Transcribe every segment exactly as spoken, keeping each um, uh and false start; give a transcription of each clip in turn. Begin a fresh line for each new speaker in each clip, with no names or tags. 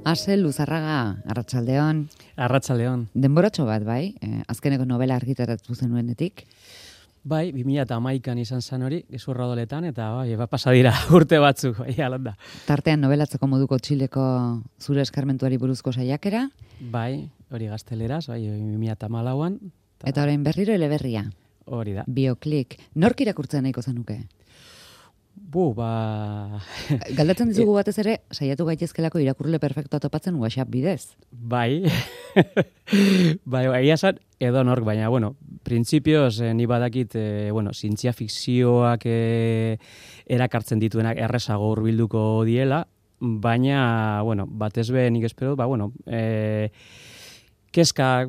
Ase Luzarraga, arratsaldeon.
Arratsaldeon.
Denboratxo bat, bai? Eh, azkeneko novela argitaratu zenuenetik.
Bai, bi mila hamaikan izan zen hori, gezurra doletan, eta bai, eba pasa dira urte batzuk, bai, alanda.
Tartean nobelatzeko moduko Txileko zure eskarmentuari buruzko saiakera.
Bai, hori gazteleraz, bai, bi mila hamalauan.
Ta... Eta orain berriro eleberria.
Hori da.
Bioklik. Nork irakurtzen nahiko zenuke?
Bu, ba...
Galdatzen dizugu batez ere, saiatu gaitezkelako irakurle perfektoa topatzen WhatsApp bidez.
Bai, bai, bai, esan, edo nork, baina, bueno, printzipioz, eh, ni badakit, eh, bueno, zientzia fikzioak eh, erakartzen dituenak errezago hurbilduko diela, baina, bueno, batez be nik espero, ba, bueno, eh, keska,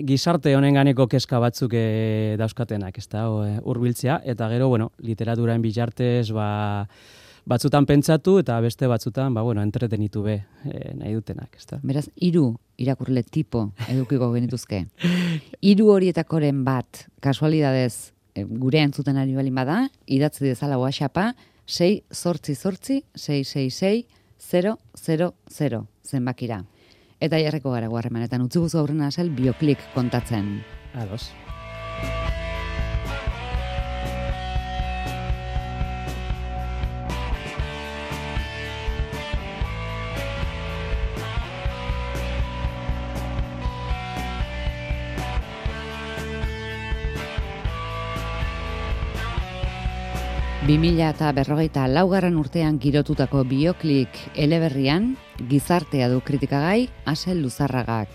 gizarte honen ganeko keska batzuk e, dauzkatenak, ez da, hurbiltzea, eta gero, bueno, literaturaen bitartez, ba, batzutan pentsatu, eta beste batzutan, ba, bueno, entretenitu be, e, nahi dutenak, ez da.
Beraz, hiru irakurle tipo edukiko genituzke. Hiru horietakoren bat, kasualidadez, e, gure entzuten ari balin bada, idatzi dezala WhatsAppa, sei zortzi zortzi, sei sei sei, zero zero zero, zenbakira. Eta jarreko gara guarremanetan utzi guzu aurrena asal Bioklik kontatzen.
Ados.
bi mila berrogeita laugarren urtean girotutako Bioklik eleberrian, gizartea du kritikagai Ase Luzarragak.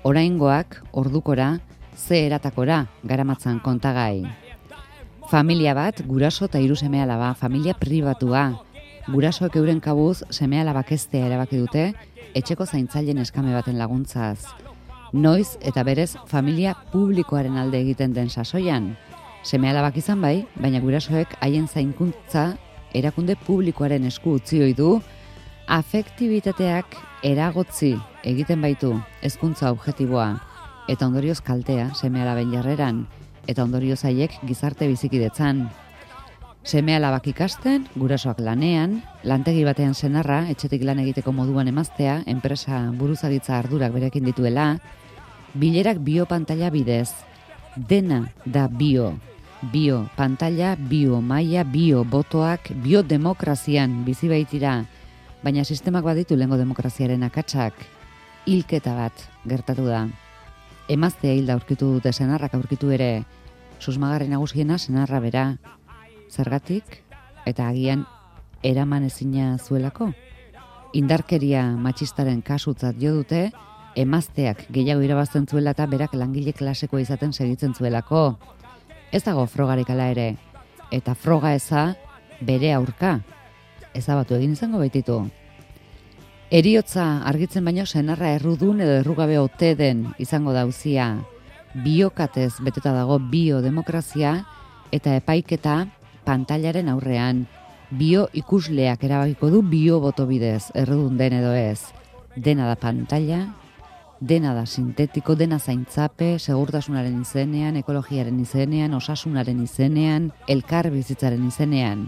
Oraingoak, ordukora, ze eratakora garamatzan kontagai. Familia bat, guraso eta hiru seme-alaba, familia pribatua. Gurasoek euren kabuz seme-alabak eztea erabaki dute, etxeko zaintzaileen eskame baten laguntzaz. Noiz eta berez familia publikoaren alde egiten den sasoian. Seme-alabak izan bai, baina gurasoek haien zainkuntza erakunde publikoaren esku utzi ohi du, afektibitateak eragotzi egiten baitu hezkuntza objektiboa, eta ondorioz kaltea seme-alaben jarreran, eta ondorioz haiek gizarte bizikidetzan. Seme-alabak ikasten, gurasoak lanean, lantegi batean senarra, etxetik lan egiteko moduan emaztea, enpresa buruzagitza ardurak berekin dituela, bilerak biopantalla bidez, dena da bio. Bio pantalla, bio maila, bio botoak, bio demokrazian bizi baitira, baina sistemak baditu lehengo demokraziaren akatsak, hilketa bat gertatu da. Emaztea hilda aurkitu dute, senarrak aurkitu ere, susmagarri nagusiena senarra bera, zergatik eta agian eraman ezina zuelako. Indarkeria matxistaren kasutzat jo dute, emazteak gehiago irabazten zuela eta berak langile klasekoa izaten segitzen zuelako. Ez dago frogarik ala ere, eta froga eza bere aurka, ezabatu egin izango baititu. Heriotza argitzen baino senarra errudun edo errugabe ote den izango dauzia. Biokatez beteta dago biodemokrazia eta epaiketa pantailaren aurrean. Bio ikusleak erabakiko du bio boto bidez, errudun den edo ez. Dena da pantaila, dena da sintetiko, dena zaintzape, segurtasunaren izenean, ekologiaren izenean, osasunaren izenean, elkar bizitzaren izenean.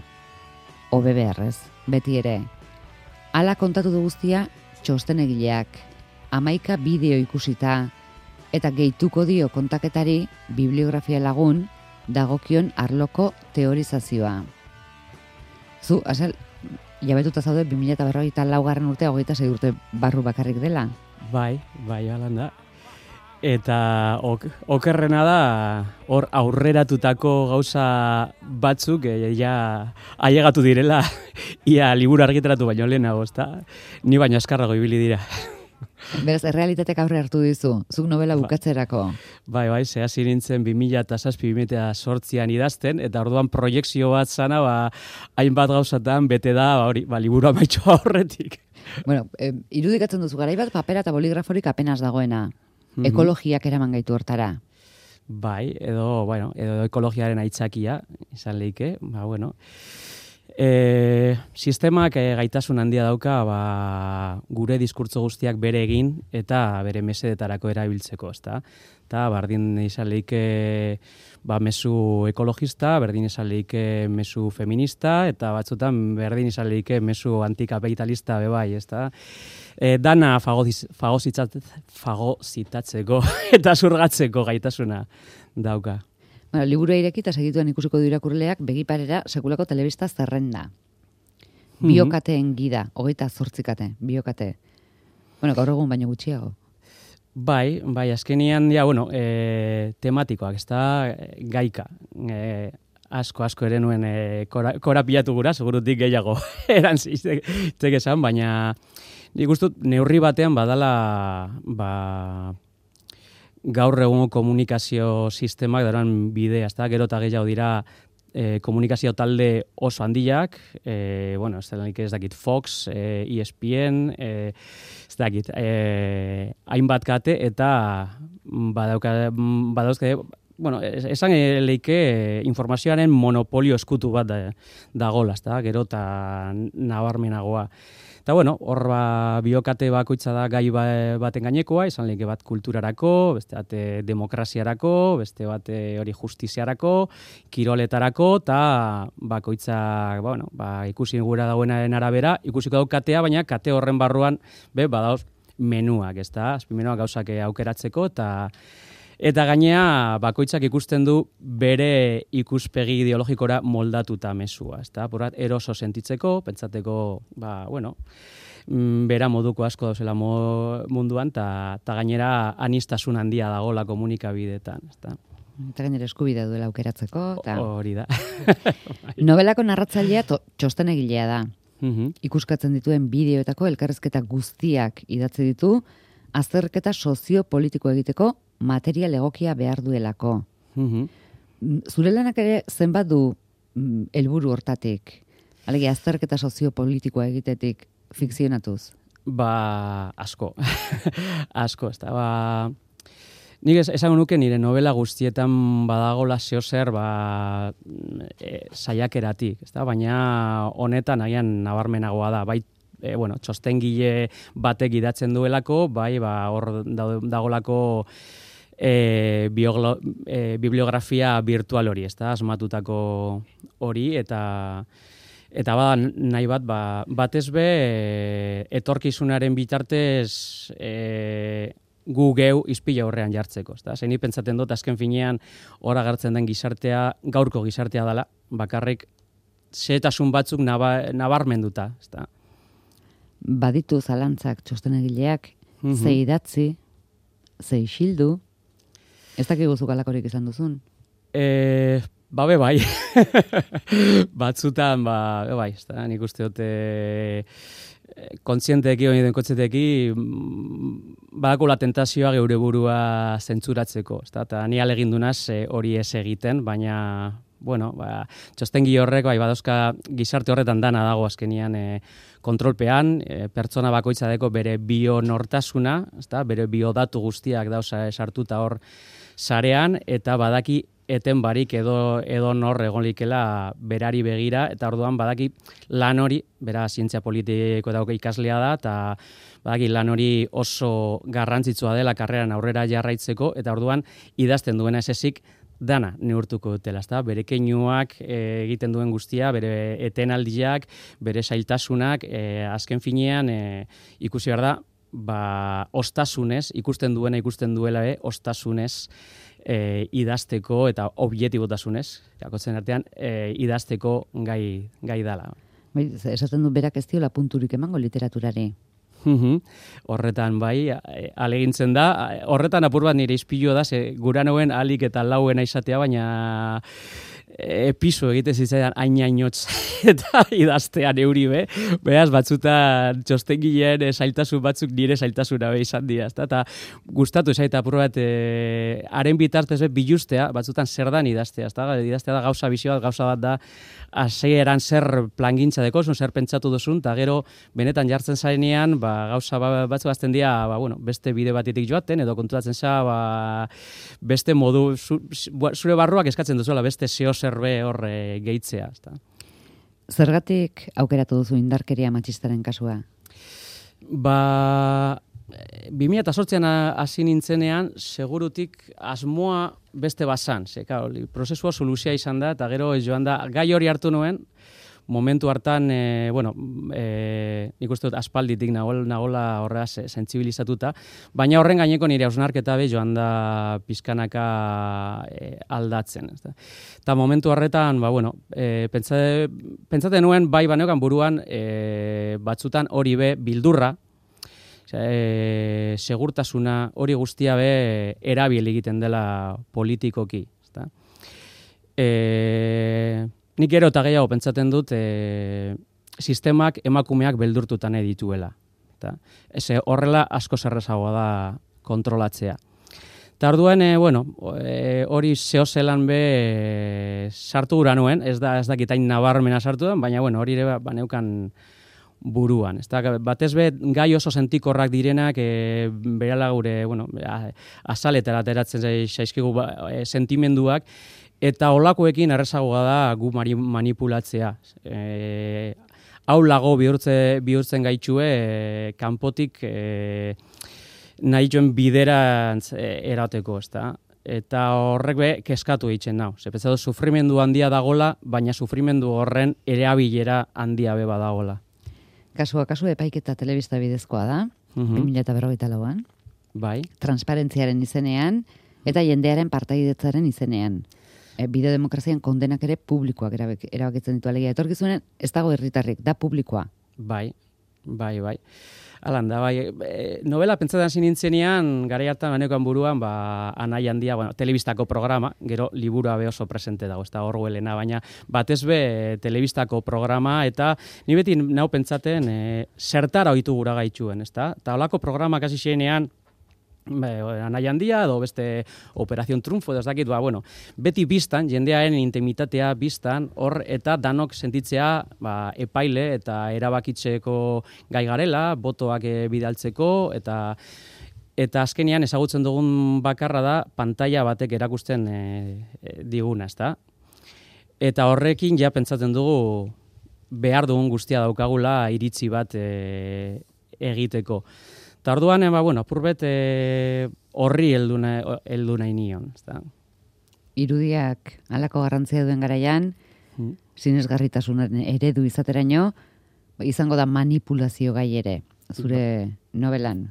Hobe beharrez, beti ere. Hala kontatu du guztia txostenegileak, hamaika bideo ikusita, eta gehituko dio kontaketari bibliografia lagun dagokion arloko teorizazioa. Zu, asal, jabetuta zaude bi mila berrogeita laugarren urtea hogeita sei urte barru bakarrik dela.
Bai, bai, alanda. Eta ok, okerrena da, hor aurreratutako gauza batzuk e, ja ailegatu direla, ia liburu argitaratu baino lehenago, ezta? Ni baino askarrago ibili dira.
Beraz, errealitatek aurre hartu dizu, zuk novela bukatzerako.
Bai, bai, ze hasi nintzen bi mila zazpi bi mila zortzian idazten, eta orduan proiekzio bat zana, ba, hainbat gauzatan bete da, ba, hori, ba, liburu amaitxo aurretik.
Bueno, eh, irudikatzen duzu garai bat papera eta boligraforik apenas dagoena. Mm-hmm. Ekologiak eraman gaitu hortara.
Bai, edo, bueno, edo ekologiaren aitzakia, izan leike, ba, bueno. E, sistemak e, gaitasun handia dauka ba, gure diskurtso guztiak bere egin eta bere mesedetarako erabiltzeko, ezta? Eta berdin izan lehike ba, mezu ekologista, berdin izan lehike mezu feminista, eta batzutan berdin izan lehike mezu antikapitalista bebai, ezta? E, dana fagozitatzeko eta zurgatzeko gaitasuna dauka.
Bueno, liburu irekita segituan ikusiko du irakurleak begiparera sekulako telebista zerrenda. Biokateen gida, hogeita zortzikate, biokate. Bueno, gaur egun baino gutxiago.
Bai, bai, azkenian, ja, bueno, e, tematikoak, ez da, gaika. E, asko, asko ere nuen e, kora, kora pilatu gura, segurutik gehiago erantziztek esan, baina nik ustut neurri batean badala, ba, gaur egungo komunikazio sistemak daran bidea, ezta? Gero eta gehiago dira e, komunikazio talde oso handiak, e, bueno, ez dakit, ez dakit Fox, e, E S P N, e, ez dakit, e, hainbat kate eta badauka, badauzke, bueno, esan leike informazioaren monopolio eskutu bat da, dagola, ezta? Gero eta nabarmenagoa. Eta bueno, hor ba, biokate bakoitza da gai baten gainekoa, izan lehike bat kulturarako, beste bat demokraziarako, beste bat hori justiziarako, kiroletarako, eta bakoitza, bueno, ba, ikusi gura dagoenaren arabera, ikusiko dau katea, baina kate horren barruan, be, badaoz menuak, ez da, azpimenuak gauzak aukeratzeko, eta Eta gainea, bakoitzak ikusten du bere ikuspegi ideologikora moldatuta mezua, ezta? Porat, eroso sentitzeko, pentsateko, ba, bueno, bera moduko asko dauzela munduan, eta gainera anistasun handia dagola komunikabideetan, ezta?
Eta gainera eskubidea duela aukeratzeko. Ta...
Hori da.
Novelako narratzailea txostenegilea da.
Uh-huh.
Ikuskatzen dituen bideoetako elkarrezketa guztiak idatzi ditu, azterketa soziopolitiko egiteko material egokia behar duelako.
Uh-huh.
Zure lanak ere zenbat du helburu hortatik? Alegia, azterketa soziopolitikoa egitetik fikzionatuz?
Ba, asko. asko, ez da. Ba, nik esango nuke nire novela guztietan badagola zeozer ba, e, saiakeratik, ez da? Baina honetan agian nabarmenagoa da, bai, E, bueno, txostengile batek idatzen duelako, bai, ba, hor dagolako e, bioglo, e, bibliografia virtual hori, ez da, asmatutako hori, eta eta bada nahi bat, ba, batez be, e, etorkizunaren bitartez e, gu geu izpila horrean jartzeko, ez da, zein pentsaten dut, azken finean, hor agertzen den gizartea, gaurko gizartea dela, bakarrik, zehetasun batzuk naba, nabarmenduta, ez da.
Baditu zalantzak txostenegileak,
Mm-hmm.
ze idatzi, ze isildu, ez dakigu zukalakorik izan duzun?
E, ba, be bai. Batzutan, ba, be bai, ez da, nik uste dute kontzienteki, hori den kontzenteki, badako la tentazioa geure burua zentzuratzeko, ez da, eta ni alegin dunaz hori ez egiten, baina, bueno, ba, txostengi horrek, bai, badauzka gizarte horretan dana dago azkenian e, kontrolpean, e, pertsona bakoitza deko bere bionortasuna, ezta, bere biodatu guztiak dauza sartuta hor sarean, eta badaki eten barik edo, edo nor egon likela berari begira, eta orduan badaki lan hori, bera zientzia politiko dauka ikaslea da, eta badaki lan hori oso garrantzitsua dela karreran aurrera jarraitzeko, eta orduan idazten duena ez ezik, dana neurtuko dutela, ezta? Bere keinuak e, egiten duen guztia, bere etenaldiak, bere zailtasunak, e, azken finean e, ikusi behar da, ba, ostasunez, ikusten duena ikusten duela, e, ostasunez e, idazteko eta objetibotasunez, jakotzen artean, e, idazteko gai, gai dala.
Bai, esaten du berak ez diola punturik emango literaturari.
Horretan bai, alegintzen da, horretan apur bat nire izpilu da, ze guranoen alik eta lauen izatea, baina episo egite zitzaidan ainainotz eta idaztean euri be, behaz batzutan txostengileen zailtasun batzuk nire zailtasuna be izan dira, eta gustatu zaita apur bat, e, haren bitartez be bilustea, batzutan zer dan idaztea, ezta? Idaztea da gauza bizio bat, gauza bat da, hasieran zer plangintza dekozun, zer pentsatu duzun, eta gero benetan jartzen zarenean, ba, gauza batzuk azten dira, ba, bueno, beste bide batetik joaten, edo konturatzen za, ba, beste modu, zu, zure barruak eskatzen duzuela, beste zeo zerbe hor e, gehitzea. Ezta?
Zergatik aukeratu duzu indarkeria matxistaren kasua?
Ba, bi mila zortzian hasi nintzenean, segurutik asmoa beste bazan. Ze, claro, prozesua soluzia izan da, eta gero joan da, gai hori hartu nuen, momentu hartan, e, bueno, e, nik uste dut aspalditik nagola, nagola horreaz sentsibilizatuta, baina horren gaineko nire hausnarketa be joan da pizkanaka e, aldatzen. Eta momentu horretan, ba, bueno, e, pentsate, pentsate nuen, bai baneokan buruan, e, batzutan hori be bildurra, e, segurtasuna hori guztia be erabil egiten dela politikoki. Ezta? E, Nik gero eta gehiago pentsaten dut e, sistemak emakumeak beldurtuta nahi dituela. Eta, eze, horrela asko zerrezagoa da kontrolatzea. Eta orduan, e, bueno, e, hori zehozelan be e, sartu gura nuen, ez da ez dakitain nabarmena sartu den, baina bueno, hori ere baneukan buruan. Ez da, batez be, gai oso sentikorrak direnak, e, berala gure, bueno, azaletara ateratzen zaizkigu ba, e, sentimenduak, eta olakoekin errezagoa da gu manipulatzea. E, hau lago bihurtze, bihurtzen gaitxue e, kanpotik e, nahi joen biderantz e, erateko, ezta? Eta horrek be keskatu egiten nau. Zepetza du, sufrimendu handia dagola, baina sufrimendu horren erabilera handia be badagola.
Kasua, kasu epaiketa telebista bidezkoa da,
Mhm.
bi mila berrogeita lauan.
Bai.
Transparentziaren izenean, eta jendearen partaidetzaren izenean. E, Bideodemokrazian kondenak ere publikoak erabek, erabakitzen ditu alegia. Etorkizunen ez dago herritarrik, da publikoa.
Bai, bai, bai. Alan da, bai, e, novela pentsatzen hasi nintzenean, garai hartan banekoan buruan, ba, Anai Handia, bueno, telebistako programa, gero liburua be oso presente dago, ez da Orwellena, baina batez be telebistako programa, eta ni beti nau pentsaten e, zertara ohitu gura gaituen, ez da? Eta holako programak hasi zenean, Anai Handia edo beste Operación Triunfo edo ez dakit, ba, bueno, beti biztan, jendearen intimitatea biztan, hor eta danok sentitzea ba, epaile eta erabakitzeko gai garela, botoak e, bidaltzeko, eta eta azkenean ezagutzen dugun bakarra da pantalla batek erakusten e, e, diguna, ezta? Eta horrekin ja pentsatzen dugu behar dugun guztia daukagula iritzi bat e, egiteko. Eta orduan, ba, bueno, apurbet e, horri heldu nahi nion. Ezta?
Irudiak halako garrantzia duen garaian,
hmm.
sinesgarritasunen eredu izateraino, izango da manipulazio gai ere, zure novelan.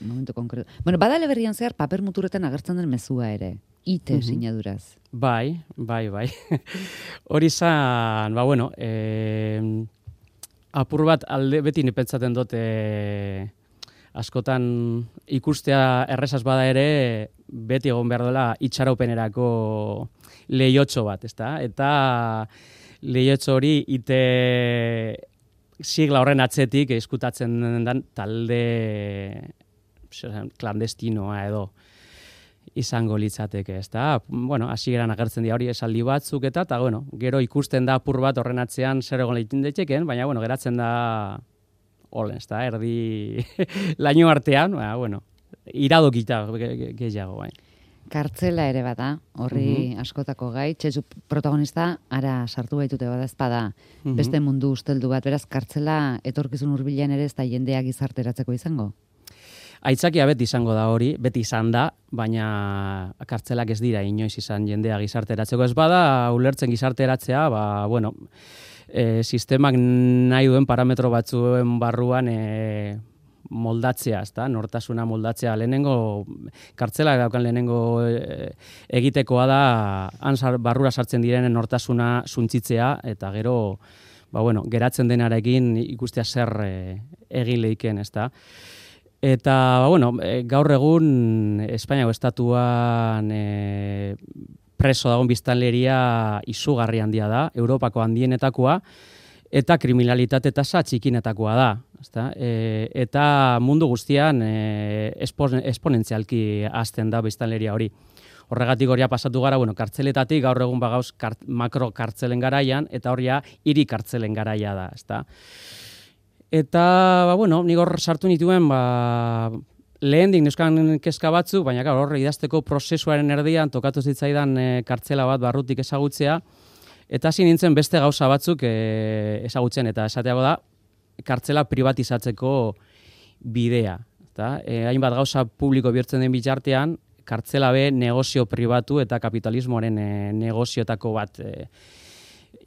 Momentu konkretu. Bueno, badale berrian zehar paper muturetan agertzen den mezua ere. Ite
Mhm.
sinaduraz.
Bai, bai, bai. Hori zan, ba, bueno, e, apur bat alde beti nipentzaten dut e, askotan ikustea errezaz bada ere, beti egon behar dela itxaropenerako lehiotxo bat, ezta? Eta lehiotxo hori ite sigla horren atzetik eskutatzen den talde klandestinoa edo izango litzateke, ezta? Bueno, hasieran agertzen dira hori esaldi batzuk eta, eta bueno, gero ikusten da apur bat horren atzean zer egon leitin daiteken, baina bueno, geratzen da olen, ezta? Erdi laino artean, ba, bueno, iradokita gehiago, bai.
Kartzela ere bada, horri
Mhm.
askotako gai, txetxu protagonista ara sartu baitute bada ezpada,
Mhm.
beste mundu usteldu bat, beraz kartzela etorkizun hurbilean ere ez da jendea gizarteratzeko izango.
Aitzakia beti izango da hori, beti izan da, baina kartzelak ez dira inoiz izan jendea gizarteratzeko. Ez bada, ulertzen gizarteratzea, ba, bueno, e, sistemak nahi duen parametro batzuen barruan e, moldatzea, ezta? Nortasuna moldatzea. Lehenengo, kartzelak daukan lehenengo e, egitekoa da, han barrura sartzen direnen nortasuna suntzitzea, eta gero, ba, bueno, geratzen denarekin ikustea zer e, egin leiken, ezta? Eta, ba, bueno, e, gaur egun Espainiako estatuan e, preso dagoen biztanleria izugarri handia da, Europako handienetakoa, eta kriminalitate tasa txikinetakoa da. Ezta? E, eta mundu guztian e, esponentzialki hazten da biztanleria hori. Horregatik horia pasatu gara, bueno, kartzeletatik gaur egun bagauz kart, makro kartzelen garaian, eta horia hiri kartzelen garaia da, ezta? Eta, ba, bueno, nik hor sartu nituen, ba, lehendik neuskan kezka batzu, baina gaur hor idazteko prozesuaren erdian tokatu zitzaidan e, kartzela bat barrutik ezagutzea, Eta hasi nintzen beste gauza batzuk e, ezagutzen, eta esateago da, kartzela privatizatzeko bidea. Eta, e, hainbat gauza publiko bihurtzen den bitartean, kartzela be negozio pribatu eta kapitalismoaren e, negozioetako bat e,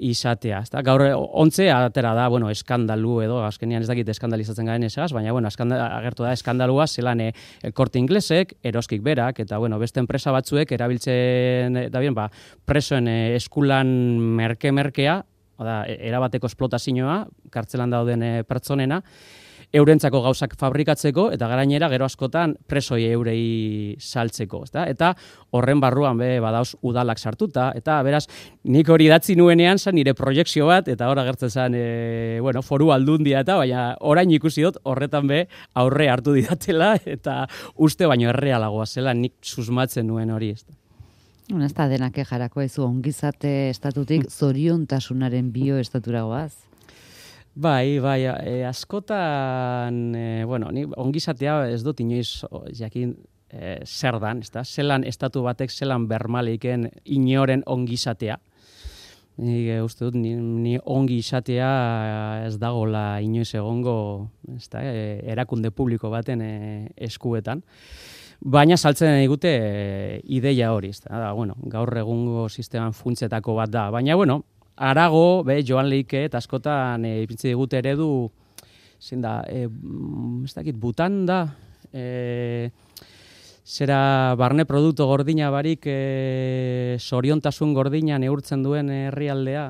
izatea. Ezta? Gaur ontze atera da, bueno, eskandalu edo, azkenean ez dakit eskandalizatzen garen esagaz, baina bueno, agertu da eskandalua zelan e, El Corte Inglesek, Eroskik berak, eta bueno, beste enpresa batzuek erabiltzen da bien, ba, presoen e, eskulan merke-merkea, da, erabateko esplotazioa, kartzelan dauden e, pertsonena, eurentzako gauzak fabrikatzeko, eta garainera gero askotan presoi eurei saltzeko. Ezta? Eta horren barruan be, badauz udalak sartuta, eta beraz, nik hori idatzi nuenean zan nire proiekzio bat, eta hor agertzen zen, e, bueno, foru aldundia eta, baina orain ikusi dut horretan be aurre hartu didatela, eta uste baino errealagoa zela nik susmatzen nuen hori. Ezta?
Ez da denak jarako ezu ongizate estatutik zoriontasunaren bioestaturagoaz.
Bai, bai, e, askotan, e, bueno, ni ongizatea ez dut inoiz jakin e, zer dan, ezta? Zelan estatu batek zelan bermaleiken inoren ongizatea. Ni e, uste dut, ni, ni ongi izatea ez dagola inoiz egongo, ezta, e, erakunde publiko baten e, eskuetan. Baina saltzen digute e, ideia hori, ezta? Da, bueno, gaur egungo sisteman funtsetako bat da. Baina, bueno, arago, be, Joan Leike, eta askotan e, ipintzi digute eredu, zein da, e, ez dakit, Butan da, e, zera barne produktu gordina barik e, soriontasun gordina neurtzen duen herrialdea.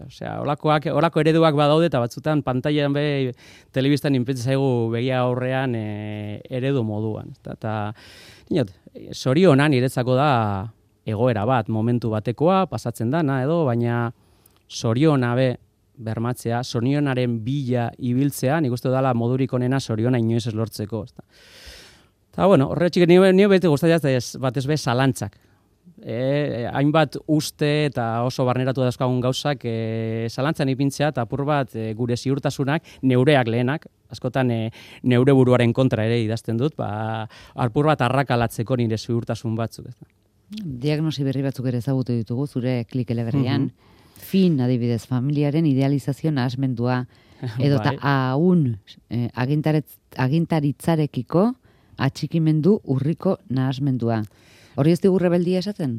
Osea, olakoak, olako ereduak badaude eta batzutan pantailan be telebistan inpentsa zaigu begia aurrean e, eredu moduan. Eta, eta inot, sorionan niretzako da egoera bat, momentu batekoa, pasatzen dana edo, baina soriona be bermatzea, sorionaren bila ibiltzea, nik uste dela modurik onena soriona inoiz ez lortzeko. Eta, bueno, horretxik nio, nio beti gustatzen batez be zalantzak. E, hainbat uste eta oso barneratu dauzkagun gauzak e, zalantzan ipintzea eta apur bat e, gure ziurtasunak, neureak lehenak, askotan e, neure buruaren kontra ere idazten dut, ba, apur bat arrakalatzeko nire ziurtasun batzuk.
Diagnosi berri batzuk ere ezagutu ditugu, zure klik eleberrian, mm-hmm. Fin, adibidez, familiaren idealizazio nahasmendua, edo eta haun eh, agintaritzarekiko atxikimendu urriko nahasmendua. Hori ez digu rebeldia esaten?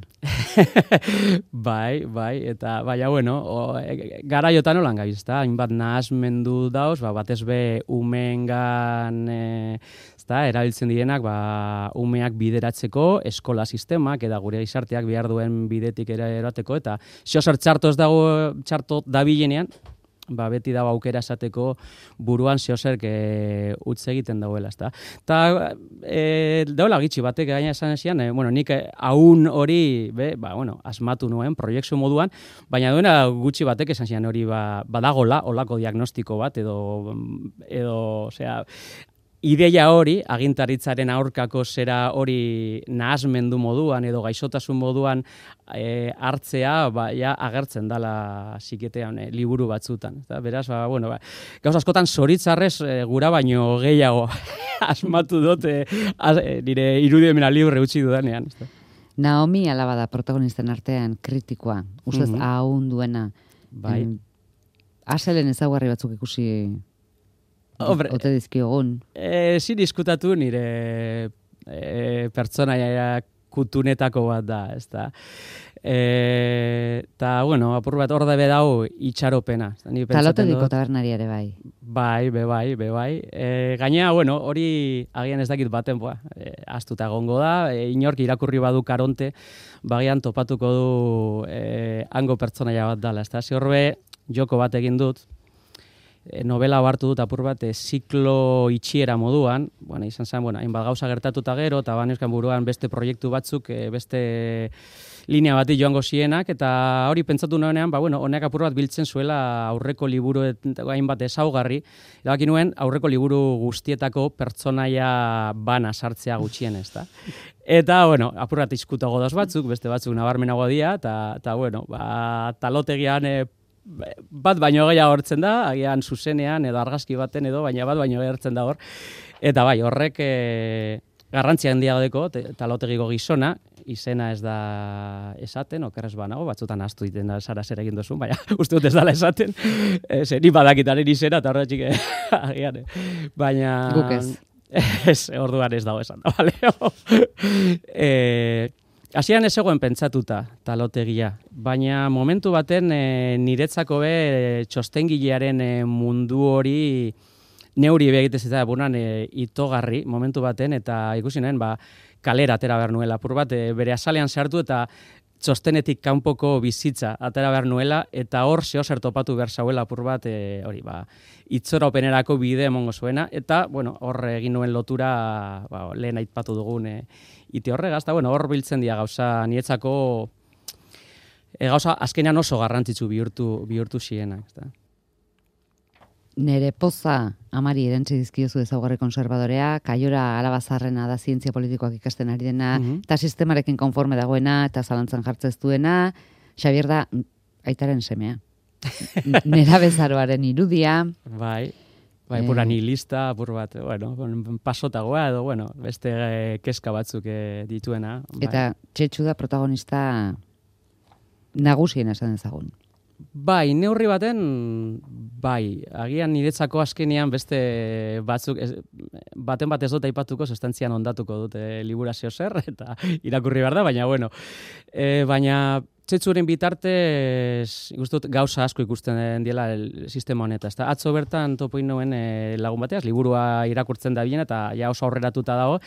bai, bai, eta baina, bueno, o, e, garaiotan holan gabiz, eta hainbat nahasmendu dauz, ba, batez be umeengan e, ezta, erabiltzen direnak, ba, umeak bideratzeko, eskola sistemak, eta gure izarteak behar duen bidetik ere erateko, eta ziozer txarto ez dago, txarto dabilenean, ba, beti dago aukera esateko buruan zeozerk e, utz egiten dauela, ezta. Ta e, daula gitxi batek gaina esan ezian, e, bueno, nik haun hori, be, ba, bueno, asmatu nuen proiektu moduan, baina duena gutxi batek esan zian hori ba, badagola, olako diagnostiko bat, edo, edo, osea, ideia hori, agintaritzaren aurkako zera hori nahasmendu moduan edo gaixotasun moduan e, hartzea, ba, ja, agertzen dala ziketean e, liburu batzutan. Eta beraz, ba, bueno, ba, gauz askotan zoritzarrez e, gura baino gehiago asmatu dut e, az, e, nire irudimena libre utzi dudanean. Ezta?
Naomi Alaba da protagonisten artean kritikoa, ustez mm-hmm. ahun duena.
Bai.
Em, Aselen ezaugarri batzuk ikusi
Hombre,
ote dizkiogun.
Eh, sin diskutatu nire eh, pertsonaia kutunetako bat da, ezta. Eta, bueno, apur bat hor da bedau itxaropena.
Talotediko tabernari ere bai.
Bai, be bai, be bai. E, gainea, bueno, hori agian ez dakit baten, boa, e, astuta gongo da, e, inork irakurri badu Karonte, bagian topatuko du e, hango pertsonaia bat dala, ezta. Ziorbe, joko bat egin dut, novela hartu dut apur bat e, ziklo itxiera moduan, bueno, izan zen, bueno, hainbat gauza gertatuta gero, eta baneuzkan buruan beste proiektu batzuk, e, beste linea bati joango zienak, eta hori pentsatu nuenean, ba, bueno, honek apur bat biltzen zuela aurreko liburu hainbat ezaugarri, erabaki nuen aurreko liburu guztietako pertsonaia bana sartzea gutxien, ezta. Eta, bueno, apur bat izkuta godoz batzuk, beste batzuk nabarmenago dira, eta, eta bueno, ba, talotegian e, bat baino gehiago hortzen da, agian zuzenean edo argazki baten edo, baina bat baino gertzen da hor. Eta bai, horrek e, garrantzia handiago deko, talotegiko gizona, izena ez da esaten, okerrez banago, batzutan ahaztu diten da zara zer egin duzun, baina uste dut ez dala esaten, e, zer ni badakitaren izena, eta horretxik agian, baina...
Guk ez.
Ez, orduan ez dago esan da, bale? e, Hasian ez zegoen pentsatuta talotegia, baina momentu baten e, niretzako be e, txostengilearen e, mundu hori neuri begitez eta bunan e, itogarri momentu baten, eta ikusi nuen, ba, kalera atera behar nuela, apur bat, e, bere azalean sartu eta txostenetik kanpoko bizitza atera behar nuela, eta hor zeo zer topatu behar zauela apur bat, e, hori, ba, itzoropenerako bide emongo zuena, eta, bueno, hor egin nuen lotura, ba, lehen aipatu dugun, e, ite horregaz, eta, bueno, hor biltzen dira gauza, nietzako, e, gauza, azkenean oso garrantzitsu bihurtu, bihurtu zienak, ezta.
Nere poza amari erantzi dizkiozu ezaugarri konservadorea, kaiora alabazarrena da zientzia politikoak ikasten ari dena,
Mhm.
eta sistemarekin konforme dagoena, eta zalantzan jartzez duena, Xabier da aitaren semea. Nera bezaroaren irudia.
Bai, bai,
Eh.
pura nihilista, apur bat, bueno, pasotagoa edo, bueno, beste eh, kezka batzuk eh, dituena. Bai.
Eta Txetxu da protagonista nagusien esan dezagun.
Bai, neurri baten, bai, agian niretzako azkenean beste batzuk, ez, baten bat ez dut aipatuko, sustantzian ondatuko dute liburazio zer, eta irakurri behar da, baina, bueno, e, baina Txetxuren bitartez, guztut gauza asko ikusten diela el sistema honetan. Ezta? Atzo bertan topoin nuen e, lagun bateaz, liburua irakurtzen da bien, eta ja oso aurreratuta dago,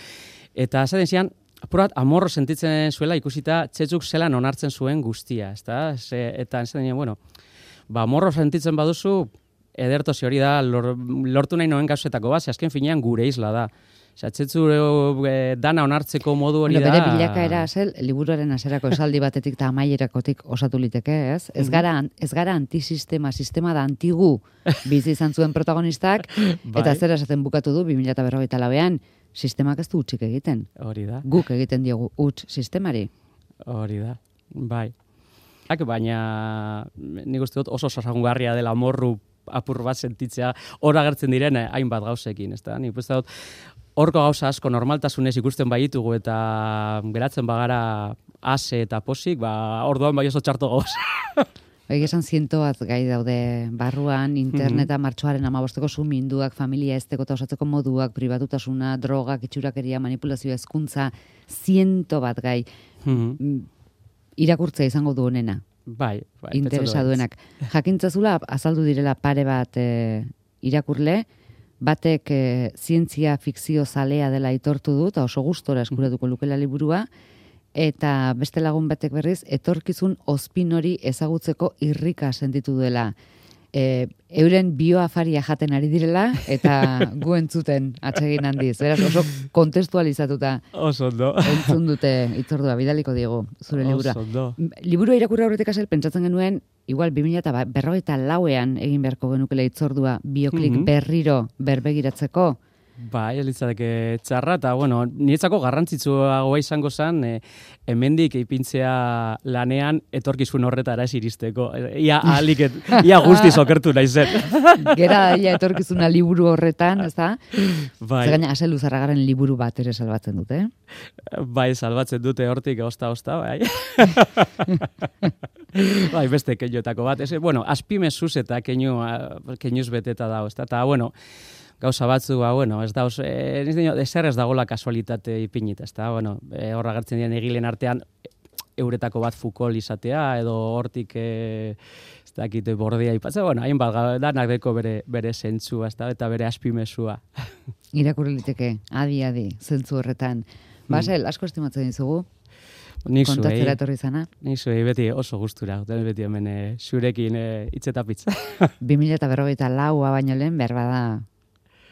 eta esaten zian, apurat, amorro sentitzen zuela ikusita Txetxuk zelan onartzen zuen guztia, ezta? Ze, eta esaten zian, bueno, ba, amorro sentitzen baduzu, edertozi hori da, lor, lortu nahi noen gauzetako bat, ze azken finean gure isla da. Osea, Txetxu e, dana onartzeko modu hori
bueno,
da...
bere bilakaera zel, liburuaren hasierako esaldi batetik eta amaierakotik osatu liteke, ez? Ez gara, ez gara antisistema, sistema da antigu bizi izan zuen protagonistak,
Bai.
eta zer esaten bukatu du, bi mila berrogeita lauean, sistemak ez du utzik egiten.
Hori da,
Guk egiten diogu huts sistemari.
hori da, bai. Ak, baina nik uste dut oso sasagungarria dela morru apur bat sentitzea hor agertzen diren eh, hainbat gauzekin, ezta? Nik uste dut horko gauza asko normaltasunez ikusten baitugu eta geratzen bagara ase eta posik, ba orduan bai oso txarto gauza.
Egia esan ziento bat gai daude barruan, interneta martxoaren amabosteko suminduak, familia ezteko eta osatzeko moduak, pribatutasuna, drogak, itxurakeria, manipulazioa, hezkuntza, ziento bat gai.
Mhm.
Irakurtzea izango du honena.
Bai, bai.
Interesa
pentsatu
duenak. Jakintzazula azaldu direla pare bat e, irakurle, batek e, zientzia fikzio zalea dela aitortu du, eta oso gustora eskuratuko lukela liburua, eta beste lagun batek berriz, etorkizun ospin hori ezagutzeko irrika sentitu duela. E, euren bioafaria jaten ari direla, eta gu entzuten atsegin handiz. Beraz, oso kontestualizatuta
Oso ondo.
entzun dute itzordua, bidaliko diegu, zure liburua.
Oso ondo.
Liburua irakurri aurretik asel pentsatzen genuen, igual bi mila berrogeita lauean egin beharko genukela itzordua bioklik
Mhm.
berriro berbegiratzeko.
Bai, ez litzateke txarra, eta, bueno, niretzako garrantzitsuagoa izango zen, e, hemendik ipintzea lanean etorkizun horretara ez iristeko. Ia ahalik, et- ia guztiz okertu naizen.
Gera daia etorkizuna liburu horretan, ez da?
Bai,
Zer gaina, Asel Luzarragaren liburu bat ere salbatzen dute, eh?
bai, salbatzen dute hortik, osta-osta, bai. Bai, beste keinoetako bat. Ez, bueno, azpimezuz eta keinu, keinuz beteta dago, ezta? Eta, bueno, gauza batzu, ba, bueno, ez da, e, ezer ez dagoela kasualitate ipinita, ez da, bueno, e, horra gertzen diren egilen artean, euretako bat Foucault izatea, edo hortik, e, ez dakit, bordea ipatzea, bueno, hainbat, danak deko bere, bere zentzua, ez da, eta bere azpimezua.
Irakurri liteke, adi-adi, zentzu horretan. Basel, asko estimatzen dizugu,
Nik zuei,
kontatzera etorri zana.
nik zuei beti oso gustura, beti hemen e, zurekin e, itzetapitz.
bi mila berrogeita laua baino lehen, behar bada,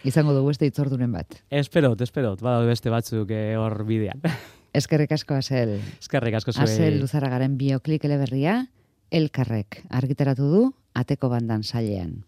izango dugu beste itzorduren bat.
Esperot, esperot, badaude beste batzuk e, hor bidean.
Eskerrik asko, Asel.
Eskerrik asko zuei.
Asel Luzarragaren bioklik eleberria, Elkarrek argitaratu du Ateko Bandan sailean.